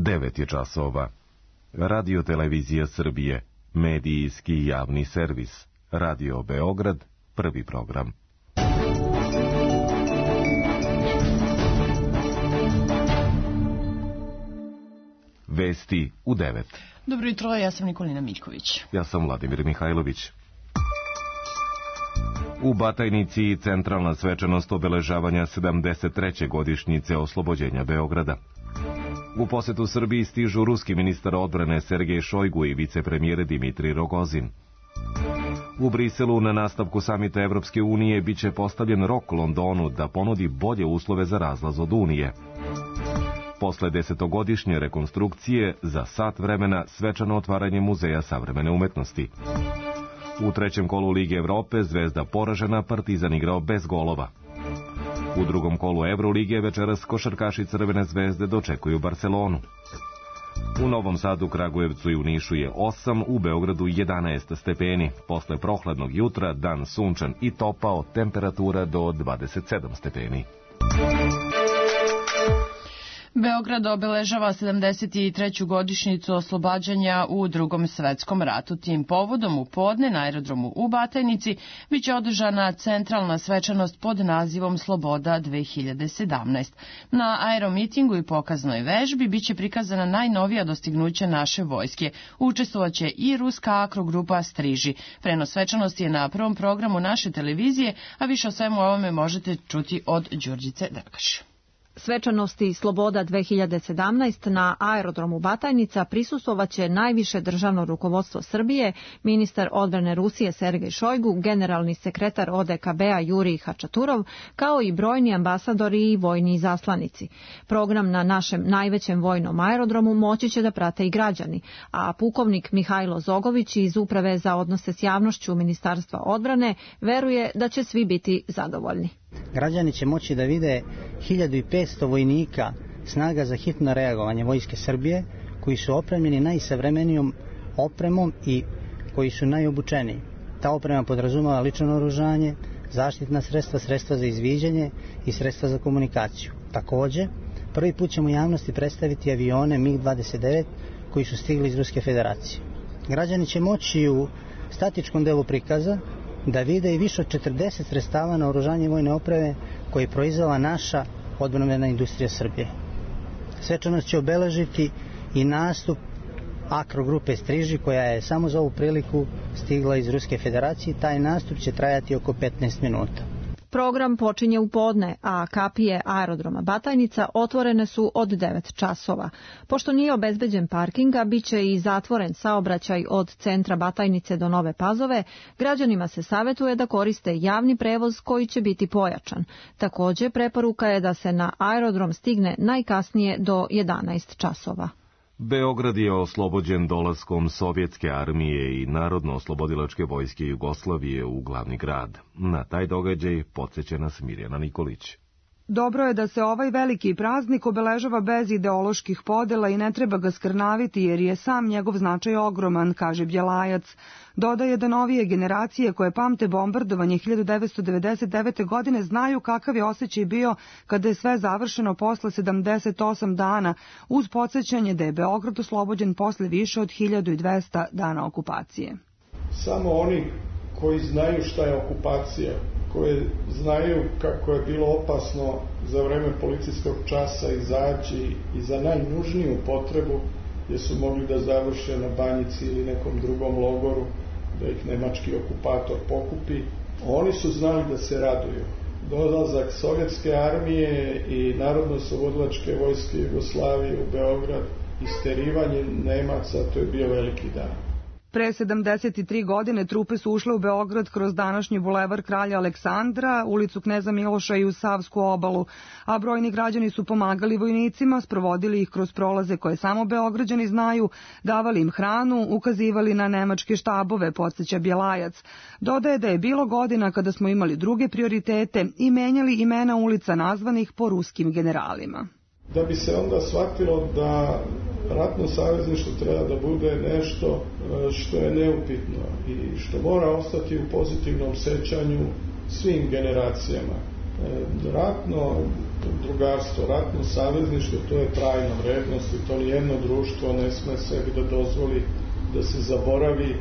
9 je časova. Radio Televizija Srbije, medijski javni servis. Radio Beograd, prvi program. Vesti u 9. Dobro jutro, ja sam Nikolina Miljković. Ja sam Vladimir Mihajlović. U Batajnici centralna svečanost obeležavanja 73. godišnjice oslobođenja Beograda. U posetu Srbiji stižu ruski ministar odbrane Sergej Šojgu i vicepremijer Dimitrij Rogozin. U Briselu na nastavku samita Evropske unije biće postavljen rok Londonu da ponudi bolje uslove za razlaz od Unije. Posle 10-godišnje rekonstrukcije, za sat vremena svečano otvaranje Muzeja savremene umetnosti. U trećem kolu Lige Evrope Zvezda poražena, Partizan igrao bez golova. U drugom kolu Evrolige večeras košarkaši Crvene zvezde dočekuju Barcelonu. U Novom Sadu, Kragujevcu i u Nišu je 8, u Beogradu 11 stepeni. Posle prohladnog jutra dan sunčan i topao, temperatura do 27 stepeni. Beograd obeležava 73. godišnjicu oslobađanja u Drugom svetskom ratu. Tim povodom u podne na aerodromu u Batajnici biće održana centralna svečanost pod nazivom Sloboda 2017. Na aeromitingu i pokaznoj vežbi biće prikazana najnovija dostignuća naše vojske. Učestvovaće i ruska akrogrupa Striži. Prenos svečanosti je na prvom programu naše televizije, a više o svemu ovome možete čuti od Đurđice Depkaš. Svečanosti Sloboda 2017 na aerodromu Batajnica prisustvovaće najviše državno rukovodstvo Srbije, ministar odbrane Rusije Sergej Šojgu, generalni sekretar ODKB-a Jurij Hačaturov, kao i brojni ambasadori i vojni izaslanici. Program na našem najvećem vojnom aerodromu moći će da prate i građani, a pukovnik Mihajlo Zogović iz Uprave za odnose s javnošću Ministarstva odbrane veruje da će svi biti zadovoljni. Građani će moći da vide 1500 vojnika snaga za hitno reagovanje Vojske Srbije, koji su opremljeni najsavremenijom opremom i koji su najobučeniji. Ta oprema podrazumeva lično naoružanje, zaštitna sredstva, sredstva za izviđanje i sredstva za komunikaciju. Takođe, prvi put ćemo javnosti predstaviti avione MiG-29 koji su stigli iz Ruske federacije. Građani će moći u statičkom delu prikaza da vide i više od 40 sredstava na oružanje vojne opreme koje je proizvela naša odbrambena industrija Srbije. Svečanost će obeležiti i nastup akrogrupe Striži, koja je samo za ovu priliku stigla iz Ruske federacije. Taj nastup će trajati oko 15 minuta. Program počinje u podne, a kapije aerodroma Batajnica otvorene su od 9 časova. Pošto nije obezbeđen parking, a bit će i zatvoren saobraćaj od centra Batajnice do Nove Pazove, građanima se savetuje da koriste javni prevoz koji će biti pojačan. Takođe, preporuka je da se na aerodrom stigne najkasnije do 11 časova. Beograd je oslobođen dolaskom Sovjetske armije i Narodno-oslobodilačke vojske Jugoslavije u glavni grad. Na taj događaj podsjeća nas Mirjana Nikolić. Dobro je da se ovaj veliki praznik obeležava bez ideoloških podela i ne treba ga skrnaviti jer je sam njegov značaj ogroman, kaže Bjelajac. Dodaje da novije generacije koje pamte bombardovanje 1999. godine znaju kakav je osjećaj bio kada je sve završeno posle 78 dana, uz podsjećanje da je Beograd oslobođen posle više od 1200 dana okupacije. Samo oni koji znaju šta je okupacija, koji znaju kako je bilo opasno za vreme policijskog časa izaći i za najnužniju potrebu, gdje su mogli da završe na Banjici ili nekom drugom logoru, da ih nemački okupator pokupi. Oni su znali da se raduju. Dolazak Sovjetske armije i Narodno-oslobodilačke vojske Jugoslavije u Beograd, isterivanje Nemaca, to je bio veliki dan. Pre 73 godine trupe su ušle u Beograd kroz današnji bulevar Kralja Aleksandra, ulicu Kneza Miloša i u Savsku obalu, a brojni građani su pomagali vojnicima, sprovodili ih kroz prolaze koje samo Beograđani znaju, davali im hranu, ukazivali na nemačke štabove, podsjeća Bjelajac. Dodaje da je bilo godina kada smo imali druge prioritete i menjali imena ulica nazvanih po ruskim generalima. Da bi se onda shvatilo da ratno savezništvo treba da bude nešto što je neupitno i što mora ostati u pozitivnom sećanju svim generacijama. Ratno drugarstvo, ratno savezništvo, to je trajna vrednost i to nijedno društvo ne sme sebi da dozvoli da se zaboravi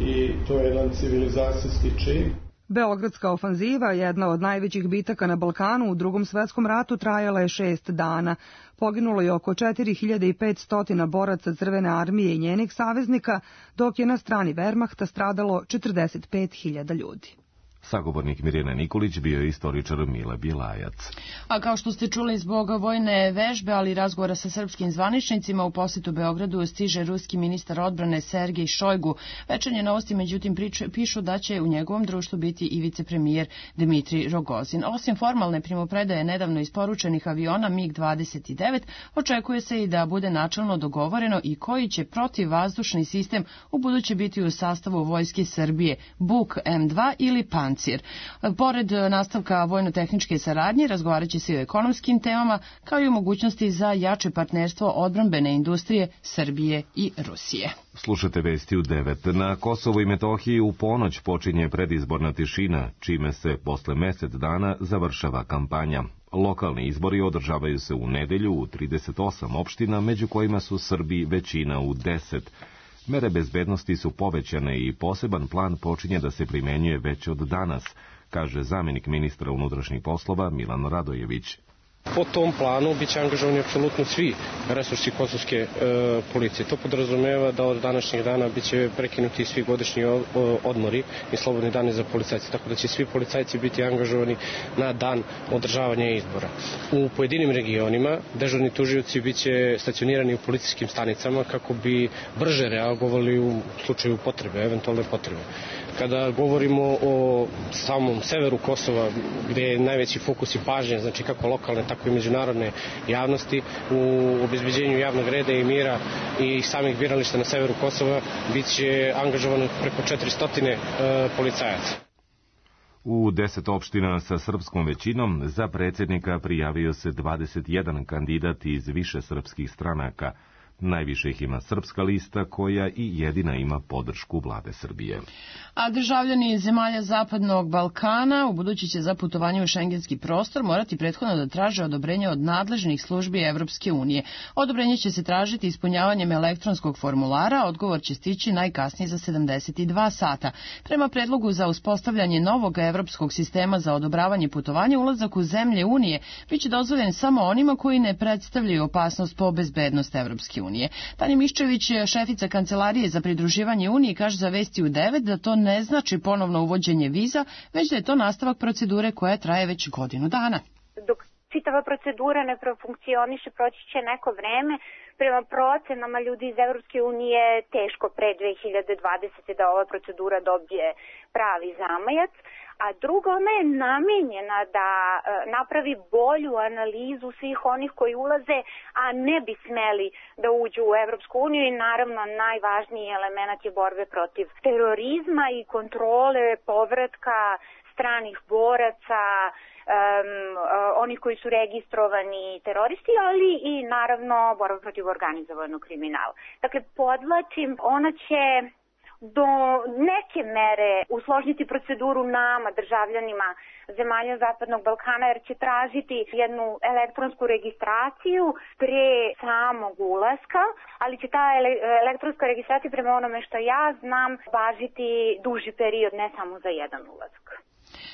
i to je jedan civilizacijski čin. Beogradska ofanziva, jedna od najvećih bitaka na Balkanu u Drugom svetskom ratu, trajala je 6 dana. Poginulo je oko 4500 boraca Crvene armije i njenih saveznika, dok je na strani Wehrmachta stradalo 45.000 ljudi. Sagovornik Mirjana Nikolić bio je istoričar Mile Bjelajac. A kao što ste čuli, zbog vojne vežbe, ali i razgovora sa srpskim zvaničnicima, u posetu Beogradu stiže ruski ministar odbrane Sergej Šojgu. Večernje novosti, međutim, pišu da će u njegovom društvu biti i vicepremijer Dmitrij Rogozin. Osim formalne primopredaje nedavno isporučenih aviona MiG-29, očekuje se i da bude načelno dogovoreno i koji će protivvazdušni sistem u buduće biti u sastavu vojske Srbije, Buk M2 ili Pancir. Pored nastavka vojno-tehničke saradnje, razgovarat će se i o ekonomskim temama, kao i o mogućnosti za jače partnerstvo odbrambene industrije Srbije i Rusije. Slušate vesti u 9. Na Kosovu i Metohiji u ponoć počinje predizborna tišina, čime se posle mesec dana završava kampanja. Lokalni izbori održavaju se u nedelju u 38 opština, među kojima su Srbi većina u 10. Mere bezbednosti su povećane i poseban plan počinje da se primenjuje već od danas, kaže zamjenik ministra unutrašnjih poslova Milan Radojević. Po tom planu biće angažovani apsolutno svi resursi kosovske policije. To podrazumeva da od današnjeg dana biće prekinuti svi godišnji odmori i slobodni dani za policajce, tako da će svi policajci biti angažovani na dan održavanja izbora. U pojedinim regionima dežurni tužioci biće stacionirani u policijskim stanicama kako bi brže reagovali u slučaju potrebe, eventualne potrebe. Kada govorimo o samom severu Kosova, gde je najveći fokus i pažnje, znači kako lokalne, tako i međunarodne javnosti, u obezbeđenju javnog reda i mira i samih birališta na severu Kosova, bit će angažovano preko 400 policajaca. U 10 opština sa srpskom većinom za predsjednika prijavio se 21 kandidat iz više srpskih stranaka. Najviše ih ima Srpska lista, koja i jedina ima podršku vlade Srbije. A državljani zemalja Zapadnog Balkana ubuduće će za putovanje u šengenski prostor morati prethodno da traže odobrenje od nadležnih službi Evropske unije. Odobrenje će se tražiti ispunjavanjem elektronskog formulara, odgovor će stići najkasnije za 72 sata. Prema predlogu za uspostavljanje novog evropskog sistema za odobravanje putovanja, ulazak u zemlje Unije biće dozvoljen samo onima koji ne predstavljaju opasnost po bezbednost Evropske unije. Tanja Miščević, šefica Kancelarije za pridruživanje Uniji, kaže za Vesti u 9 da to ne znači ponovno uvođenje viza, već da je to nastavak procedure koja traje već godinu dana. Dok čitava procedura ne profunkcioniše, proći će neko vreme. Prema procenama ljudi iz Evropske unije teško pre 2020. da ova procedura dobije pravi zamajac. A drugo, ona je namenjena da napravi bolju analizu svih onih koji ulaze, a ne bi smeli da uđu u Evropsku uniju i naravno najvažniji element je borbe protiv terorizma i kontrole povratka stranih boraca, onih koji su registrovani teroristi, ali i naravno borba protiv organizovanog kriminala. Dakle, podvlačim, ona će do neke mere usložniti proceduru nama, državljanima zemalja Zapadnog Balkana, jer će tražiti jednu elektronsku registraciju pre samog ulaska, ali će ta elektronska registracija, prema onome što ja znam, važiti duži period, ne samo za jedan ulazak.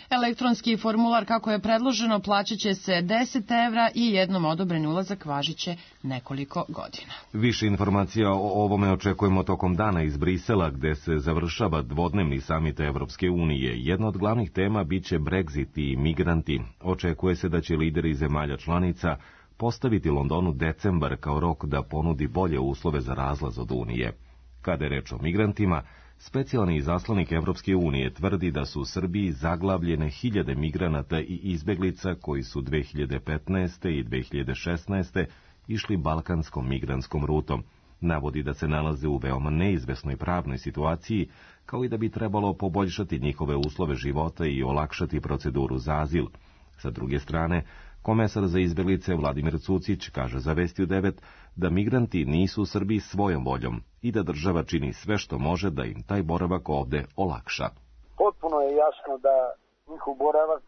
Elektronski formular, kako je predloženo, plaćat će se 10 evra i jednom odobreni ulazak važit će nekoliko godina. Više informacija o ovome očekujemo tokom dana iz Brisela, gde se završava dvodnevni samit Evropske unije. Jedna od glavnih tema biće Brexit i migranti. Očekuje se da će lideri zemalja članica postaviti Londonu decembar kao rok da ponudi bolje uslove za razlaz od Unije. Kada je reč o migrantima, specijalni izaslanik Evropske unije tvrdi da su u Srbiji zaglavljene hiljade migranata i izbeglica koji su 2015. i 2016. išli balkanskom migrantskom rutom. Navodi da se nalaze u veoma neizvesnoj pravnoj situaciji, kao i da bi trebalo poboljšati njihove uslove života i olakšati proceduru za azil. Sa druge strane, komesar za izbeglice Vladimir Cucić kaže za Vesti u 9 da migranti nisu u Srbiji svojom voljom i da država čini sve što može da im taj boravak ovde olakša. Potpuno je jasno da njihov boravak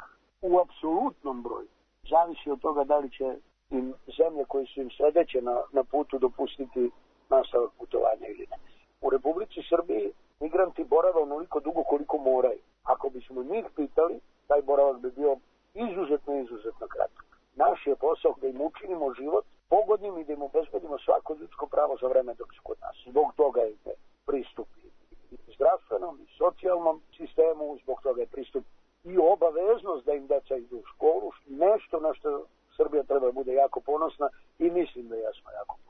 u apsolutnom broju. Zavisi od toga da li će im zemlje koje su im sledeće na putu dopustiti nastavak putovanja ili ne. U Republici Srbiji migranti borave onoliko dugo koliko moraju. Ako bismo njih pitali, taj boravak bi bio izuzetno kratak. Naš je posao da im učinimo život pogodnim i da im obezbedimo svako ljudsko pravo za vreme dok su kod nas. Zbog toga je pristup i zdravstvenom i socijalnom sistemu, zbog toga je pristup i obaveznost da im deca idu u školu, nešto na što Srbija treba da bude jako ponosna i mislim da jesmo jako ponosni.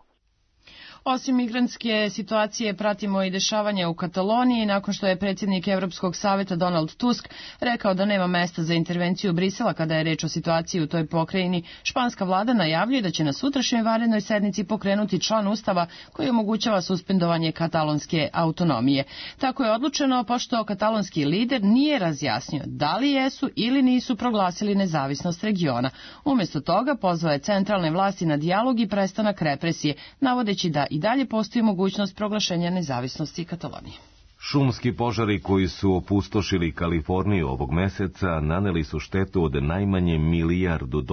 Osim migrantske situacije pratimo i dešavanja u Kataloniji nakon što je predsjednik Evropskog saveta Donald Tusk rekao da nema mesta za intervenciju Brisela kada je reč o situaciji u toj pokrajini. Španska vlada najavljuje da će na sutrašnjoj vanrednoj sednici pokrenuti član Ustava koji omogućava suspendovanje katalonske autonomije. Tako je odlučeno pošto katalonski lider nije razjasnio da li jesu ili nisu proglasili nezavisnost regiona. Umjesto toga pozvao je centralne vlasti na dijalog i prestanak represije, navodeći da i dalje postoji mogućnost proglašenja nezavisnosti Katalonije. Šumski požari koji su opustošili Kaliforniju ovog meseca naneli su štetu od najmanje $1 milijardu,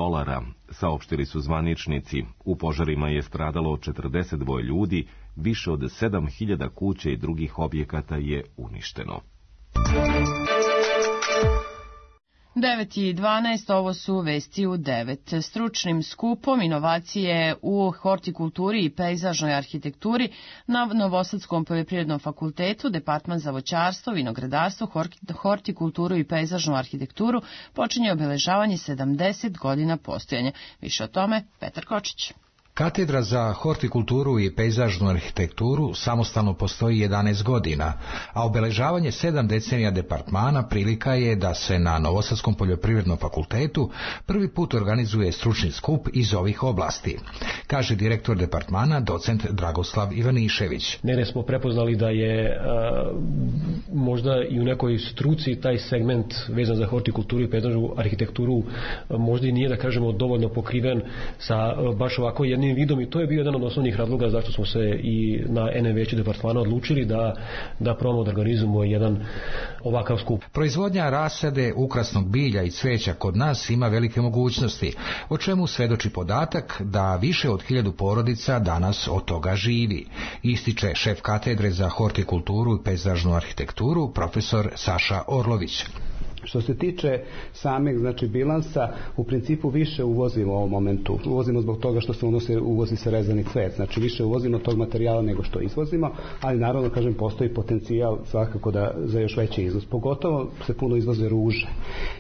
saopštili su zvaničnici. U požarima je stradalo 42 ljudi, više od 7.000 kuća i drugih objekata je uništeno. 9:12, ovo su vesti u 9. Stručnim skupom inovacije u hortikulturi i pejzažnoj arhitekturi na Novosadskom poljoprivrednom fakultetu, Departman za voćarstvo, vinogradarstvo, hortikulturu i pejzažnu arhitekturu počinje obeležavanje 70 godina postojanja. Više o tome Petar Kočić. Katedra za hortikulturu i pejzažnu arhitekturu samostalno postoji 11 godina, a obeležavanje 7 decenija departmana prilika je da se na Novosadskom poljoprivrednom fakultetu prvi put organizuje stručni skup iz ovih oblasti, kaže direktor departmana, docent Dragoslav Ivanišević. Negde smo prepoznali da je možda i u nekoj struci taj segment vezan za hortikulturu i pejzažnu arhitekturu možda i nije, da kažemo, dovoljno pokriven sa baš ovako jednim vidom i to je bio jedan od osnovnih razloga zašto smo se i na NM veću departmana odlučili da probamo da organizujemo jedan ovakav skup. Proizvodnja rasade ukrasnog bilja i cveća kod nas ima velike mogućnosti, o čemu svedoči podatak da više od 1000 porodica danas od toga živi, ističe šef katedre za hortikulturu i pejzažnu arhitekturu, profesor Saša Orlović. Što se tiče sameg, bilansa, u principu više uvozimo u ovom momentu. Uvozimo zbog toga što se uvozi se rezani cvet. Znači više uvozimo tog materijala nego što izvozimo, ali naravno, postoji potencijal svakako za još veći izvoz. Pogotovo se puno izvoze ruže.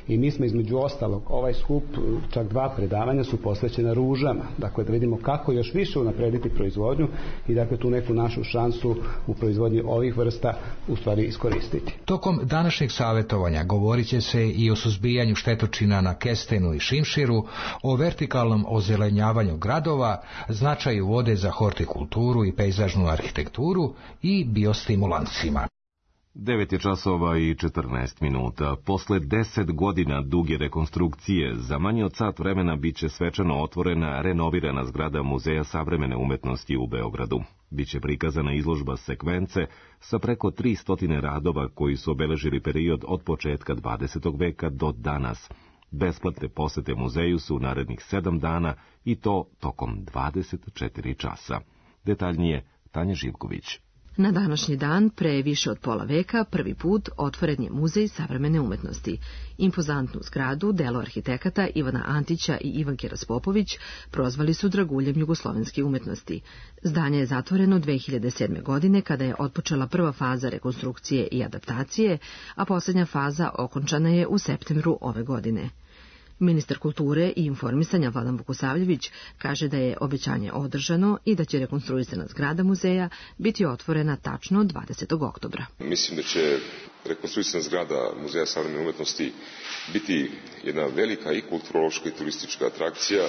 I mi smo između ostalog, ovaj skup, čak 2 predavanja su posvećena ružama. Dakle, da vidimo kako još više unaprediti proizvodnju i tu neku našu šansu u proizvodnji ovih vrsta u stvari iskoristiti. Tokom današnjeg savjetovanja govorit će se i o suzbijanju štetočina na kestenu i šimširu, o vertikalnom ozelenjavanju gradova, značaju vode za hortikulturu i pejzažnu arhitekturu i biostimulansima. 9:14. Posle 10 godina duge rekonstrukcije, za manje od sat vremena biće svečano otvorena renovirana zgrada Muzeja savremene umetnosti u Beogradu. Biće prikazana izložba sekvence sa preko 300 radova koji su obeležili period od početka 20. veka do danas. Besplatne posete muzeju su u narednih 7 dana i to tokom 24 časa. Detaljnije Tanja Živković. Na današnji dan, pre više od pola veka, prvi put otvoren je Muzej savremene umetnosti. Impozantnu zgradu, delo arhitekata Ivana Antića i Ivanke Raspopović, prozvali su draguljem jugoslovenske umetnosti. Zdanje je zatvoreno 2007. godine, kada je otpočela prva faza rekonstrukcije i adaptacije, a posljednja faza okončana je u septembru ove godine. Ministar kulture i informisanja Vladan Vukosavljević kaže da je obećanje održano i da će rekonstruisana zgrada muzeja biti otvorena tačno 20. oktobra. Mislim da će rekonstruisana zgrada Muzeja savremene umetnosti biti jedna velika i kulturološka i turistička atrakcija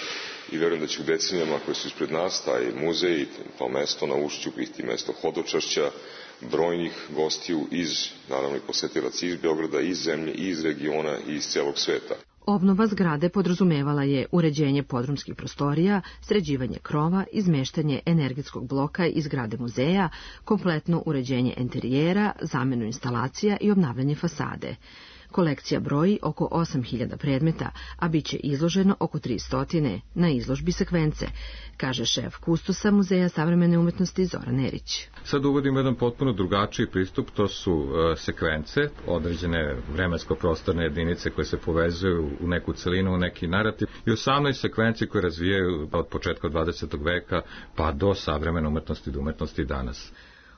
i verujem da će u decenijama koje su ispred nas taj muzej, to mesto na ušću biti mesto hodočašća brojnih gostiju naravno i posetilaca iz Beograda, iz zemlje, iz regiona i iz celog sveta. Obnova zgrade podrazumevala je uređenje podrumskih prostorija, sređivanje krova, izmeštanje energetskog bloka iz zgrade muzeja, kompletno uređenje enterijera, zamenu instalacija i obnavljanje fasade. Kolekcija broji oko 8.000 predmeta, a bit će izloženo oko 300 na izložbi Sekvence, kaže šef kustosa Muzeja savremene umetnosti Zoran Erić. Sad uvodimo jedan potpuno drugačiji pristup, to su sekvence, određene vremensko-prostorne jedinice koje se povezuju u neku celinu, u neki narativ i 18 sekvenci koje razvijaju od početka 20. veka pa do savremene umetnosti do umetnosti danas.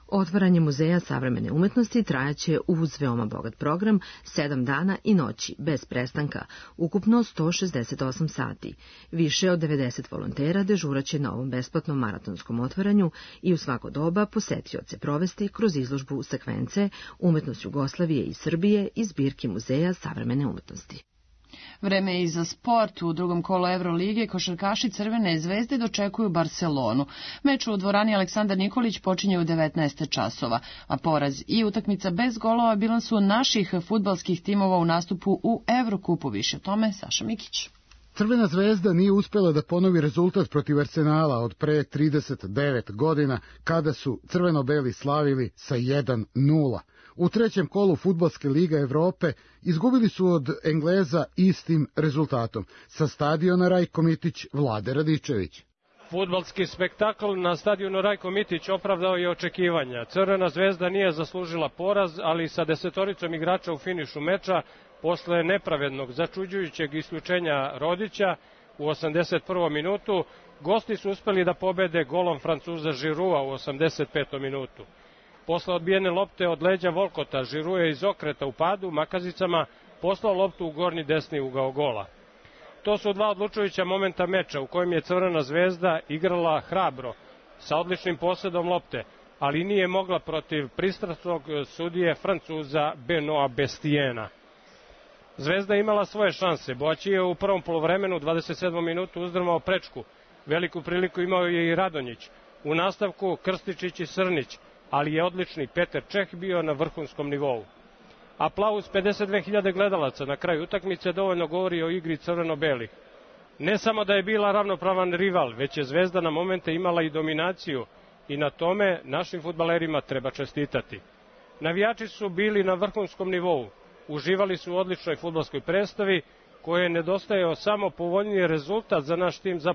Otvaranje Muzeja savremene umetnosti trajaće uz veoma bogat program 7 dana i noći, bez prestanka, ukupno 168 sati. Više od 90 volontera dežuraće na ovom besplatnom maratonskom otvaranju i u svako doba posetioce provesti kroz izložbu Sekvence, umetnost Jugoslavije i Srbije iz zbirki Muzeja savremene umetnosti. Vreme je i za sport. U drugom kolu Evrolige košarkaši Crvene zvezde dočekuju Barcelonu. Meč u dvorani Aleksandar Nikolić počinje u 19 časova, a poraz i utakmica bez golova bilan su naših fudbalskih timova u nastupu u Evrokupu. Više o tome Saša Mikić. Crvena zvezda nije uspela da ponovi rezultat protiv Arsenala od pre 39 godina, kada su crveno-beli slavili sa 1:0. U trećem kolu Fudbalske lige Evrope izgubili su od Engleza istim rezultatom. Sa stadiona Rajko Mitić, Vlade Radičević. Fudbalski spektakl na stadionu Rajko Mitić opravdao je očekivanja. Crvena zvezda nije zaslužila poraz, ali sa 10 igrača u finišu meča, posle nepravednog, začuđujućeg isključenja Rodića u 81. minutu, gosti su uspeli da pobede golom Francuza Žirua u 85. minutu. Posle odbijene lopte od leđa Volkota, Žiru je iz okreta u padu makazicama poslao loptu u gornji desni ugao gola. To su dva odlučujuća momenta meča u kojem je Crvena zvezda igrala hrabro, sa odličnim posedom lopte, ali nije mogla protiv pristrasnog sudije Francuza Benoa Bestiena. Zvezda imala svoje šanse. Boaći je u prvom poluvremenu 27. minutu uzdrmao prečku. Veliku priliku imao je i Radonjić. U nastavku Krstičić i Srnić, ali je odlični Peter Čeh bio na vrhunskom nivou. Aplauz 52.000 gledalaca na kraju utakmice dovoljno govori o igri crveno-belih. Ne samo da je bila ravnopravan rival, već je Zvezda na momente imala i dominaciju i na tome našim fudbalerima treba čestitati. Navijači su bili na vrhunskom nivou, uživali su u odličnoj fudbalskoj predstavi koje je nedostajao samo povoljniji rezultat za naš tim za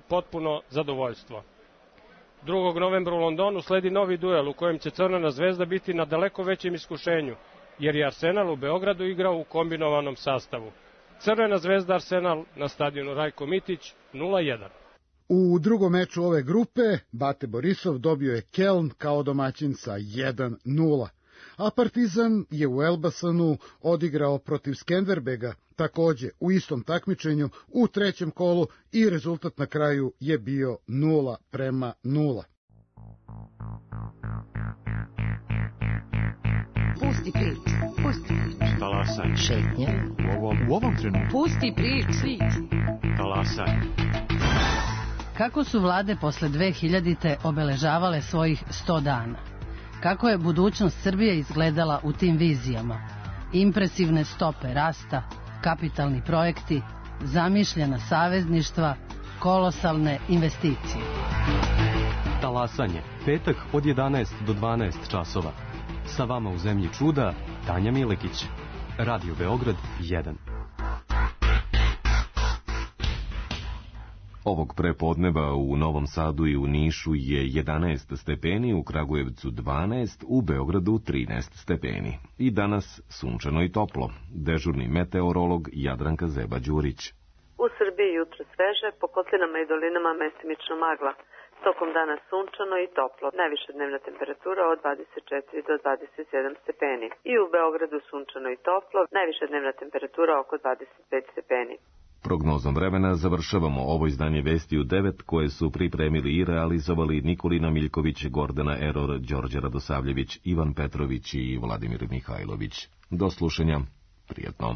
potpuno zadovoljstvo. 2. novembra u Londonu sledi novi duel u kojem će Crvena zvezda biti na daleko većem iskušenju, jer je Arsenal u Beogradu igrao u kombinovanom sastavu. Crvena zvezda Arsenal na stadionu Rajko Mitić 0:1. U drugom meču ove grupe Bate Borisov dobio je Keln kao domaćin sa 1:0. A Partizan je u Elbasanu odigrao protiv Skenderbega, takođe u istom takmičenju u trećem kolu i rezultat na kraju je bio 0:0. Pusti prič, pusti prič. Talasaj. Šetnje. U ovom trenutku. Pusti prič. Talasaj. Kako su vlade posle 2000. obeležavale svojih 100 dana? Kako je budućnost Srbije izgledala u tim vizijama? Impresivne stope rasta, kapitalni projekti, zamišljena savezništva, kolosalne investicije. Talasanje, petak od 11 do 12 časova. Sa vama u zemlji čuda, Tanja Milekić. Radio Beograd 1. Ovog prepodneva u Novom Sadu i u Nišu je 11 stepeni, u Kragujevcu 12, u Beogradu 13 stepeni. I danas sunčano i toplo. Dežurni meteorolog Jadranka Zeba-Đurić. U Srbiji jutro sveže, po kotlinama i dolinama mestimično magla. Tokom dana sunčano i toplo. Najviša dnevna temperatura od 24 do 27 stepeni. I u Beogradu sunčano i toplo. Najviša dnevna temperatura oko 25 stepeni. Prognozom vremena završavamo ovo izdanje Vesti u 9 koje su pripremili i realizovali Nikolina Miljković, Gordana Eror, Đorđe Radosavljević, Ivan Petrović i Vladimir Mihajlović. Do slušanja. Prijetno.